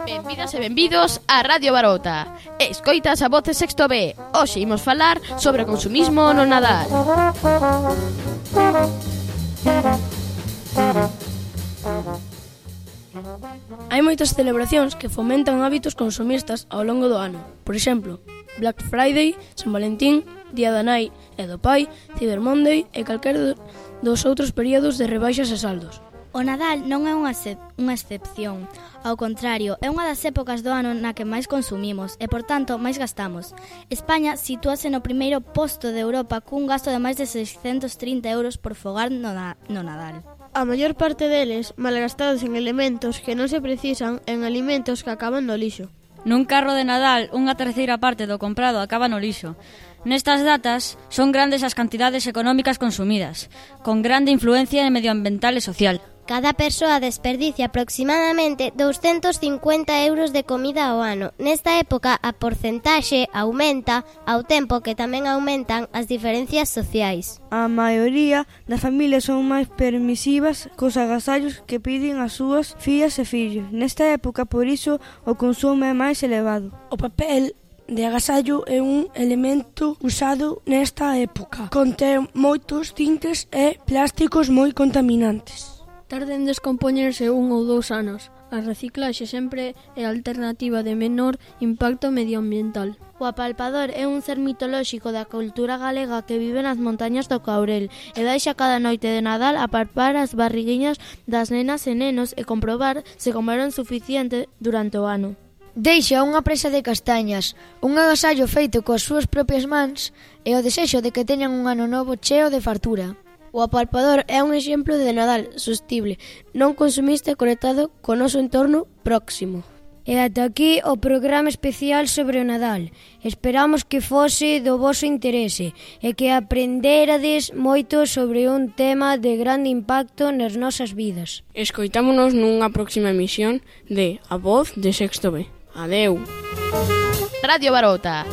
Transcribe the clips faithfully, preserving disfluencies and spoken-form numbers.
Benvidas e benvidos a Radio Barota. Escoitas a voz de Sexto B. Hoxe imos falar sobre o consumismo no Nadal. Hai moitas celebracións que fomentan hábitos consumistas ao longo do ano. Por exemplo, Black Friday, San Valentín, Día da Nai e do Pai, Cyber Monday e calquera dos outros períodos de rebaixas e saldos. O Nadal non é unha, excep- unha excepción. Ao contrario, é unha das épocas do ano na que máis consumimos e, por tanto, máis gastamos. España sitúase no primeiro posto de Europa cun gasto de máis de seiscentos trinta euros por fogar no, na- no Nadal. A maior parte deles malgastados en elementos que non se precisan en alimentos que acaban no lixo. Nun carro de Nadal, unha terceira parte do comprado acaba no lixo. Nestas datas, son grandes as cantidades económicas consumidas, con grande influencia medioambiental e social. Cada persoa desperdicia aproximadamente douscentos cincuenta euros de comida ao ano. Nesta época, a porcentaxe aumenta ao tempo que tamén aumentan as diferencias sociais. A maioría das familias son máis permisivas cos agasallos que piden as súas fillas e fillos. Nesta época, por iso, o consumo é máis elevado. O papel de agasallo é un elemento usado nesta época. Contén moitos tintes e plásticos moi contaminantes. Tarda en descompoñerse un ou dous anos. A reciclaxe sempre é a alternativa de menor impacto medioambiental. O apalpador é un ser mitolóxico da cultura galega que vive nas montañas do Caurel e deixa cada noite de Nadal apalpar as barriguiñas das nenas e nenos e comprobar se comeron suficiente durante o ano. Deixa unha presa de castañas, un agasallo feito coas súas propias mans e o desexo de que teñan un ano novo cheo de fartura. O apalpador é un exemplo de Nadal sostible, non consumista e conectado co noso entorno próximo. E ata aquí o programa especial sobre o Nadal. Esperamos que fose do voso interese e que aprenderades moito sobre un tema de grande impacto nas nosas vidas. Escoitámonos nunha próxima emisión de A Voz de Sexto B. Adeu. Radio Barota.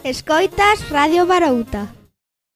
Escoitas Radio Barouta.